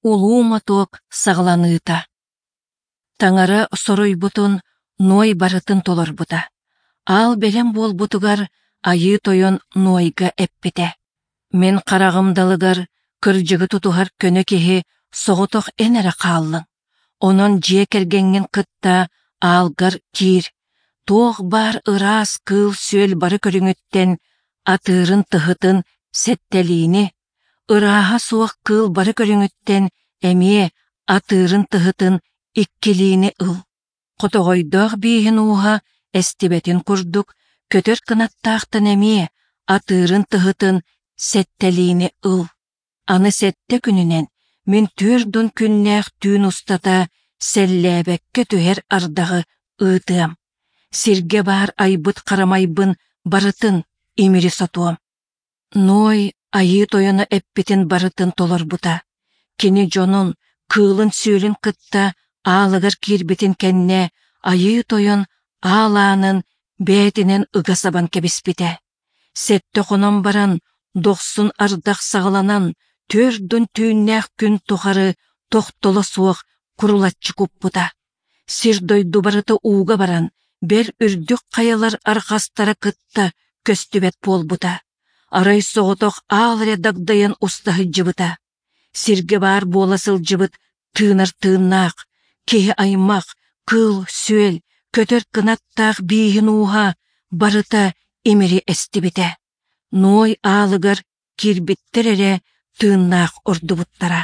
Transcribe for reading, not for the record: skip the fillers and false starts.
Улуу мотуок саҕаланыыта. Таҥара соруйбутун Ной барытын толорбута. Аал бэлэм буолбутугар Айыы Тойон Нойга эппитэ: «Мин хараҕым далыгар кырдьыгы тутуһар көнө киһи соҕотох эн эрэ хааллыҥ. Онон дьиэ кэргэҥҥин кытта аалгар киир, туох баар ыраас кыыл-сүөл бары көрүҥүттэн атыырын-тыһытын сэттэлиини, ырааһа суох кыыл бары көрүҥүттэн эмиэ атыырын-тыһытын иккилиини ыл. Хотоҕойдоох бииһин ууһа эстибэтин курдук, көтөр кынаттаахтан эмиэ атыырын-тыһытын сэттэлиини ыл. Аны сэттэ күнүнэн мин түөрт күннээх түүн устата сэллээбэккэ түһэр ардаҕы ыытыам. Сиргэ баар айбыт харамайбын барытын имири сотуом. Ной Айыы Тойоно эппитин барытын толорбута. Кини дьонун, кыылын-сүөлүн кытта аалыгар киирбитин кэннэ Айыы Тойон аал аанын бэйэтинэн ыга сабан кэбиспитэ. Сэттэ хонон баран, дохсун ардах саҕаланан, түөрт түүннээх күн тухары тохтоло суох курулаччы куппута. Сир-дойду барыта ууга баран, бэл үрдүк хайалар арҕастара кытта көстүбэт буолбута. Арай соҕотох аал эрэ дагдайан уста сылдьыбыта. Сиргэ баар буола сылдьыбыт тыынар тыыннаах, киһи аймах, кыыл-сүөл, көтөр кынаттаах бииһин ууһа барыта имири эстибитэ. Ной аалыгар киирбиттэр эрэ тыыннаах ордубуттара.